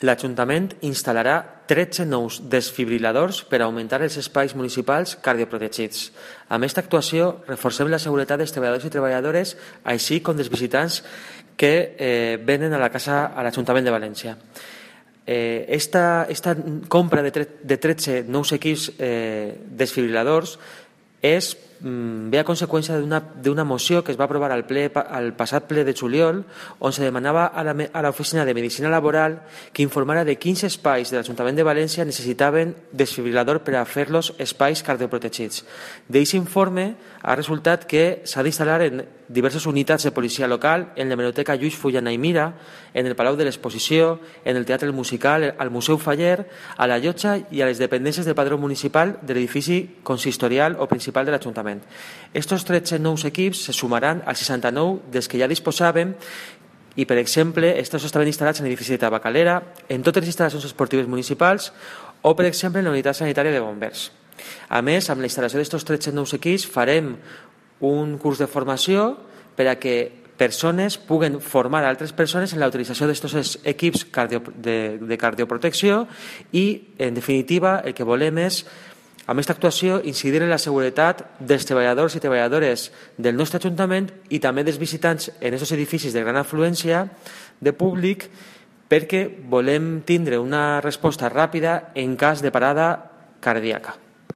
l'Ajuntament instal·larà 13 nous desfibriladors per augmentar els espais municipals cardioprotegits. Amb aquesta actuació reforcem la seguretat dels treballadors i treballadores, així com dels visitants que venen a l'Ajuntament de València. Esta compra de 13 nous equips desfibriladors ve a conseqüència d'una moció que es va aprovar al passat ple de juliol, on se demanava a l'Oficina de Medicina Laboral que informara de quins espais de l'Ajuntament de València necessitaven desfibrilador per a fer-los espais cardioprotegits. D'aquest informe ha resultat que s'ha d'instal·lar en diverses unitats de policia local, en l'hemeroteca Lluís Fullana i Mira, en el Palau de l'Exposició, en el Teatre Musical, al Museu Faller, a la Llotja i a les dependències del padró municipal de l'edifici consistorial o principal de l'Ajuntament. Estos 13 nous equips se sumaran als 69 dels que ja disposàvem i, per exemple, estos estaven instal·lats en l'edifici de Tabacalera, en totes les instal·lacions esportives municipals o, per exemple, en la unitat sanitària de bombers. A més, amb la instal·lació d'estos 13 nous equips farem un curs de formació per a que persones puguen formar altres persones en la utilització d'aquests equips de cardioprotecció i, en definitiva, el que volem és, amb aquesta actuació, incidir en la seguretat dels treballadors i treballadores del nostre Ajuntament i també dels visitants en aquests edificis de gran afluència de públic, perquè volem tindre una resposta ràpida en cas de parada cardíaca.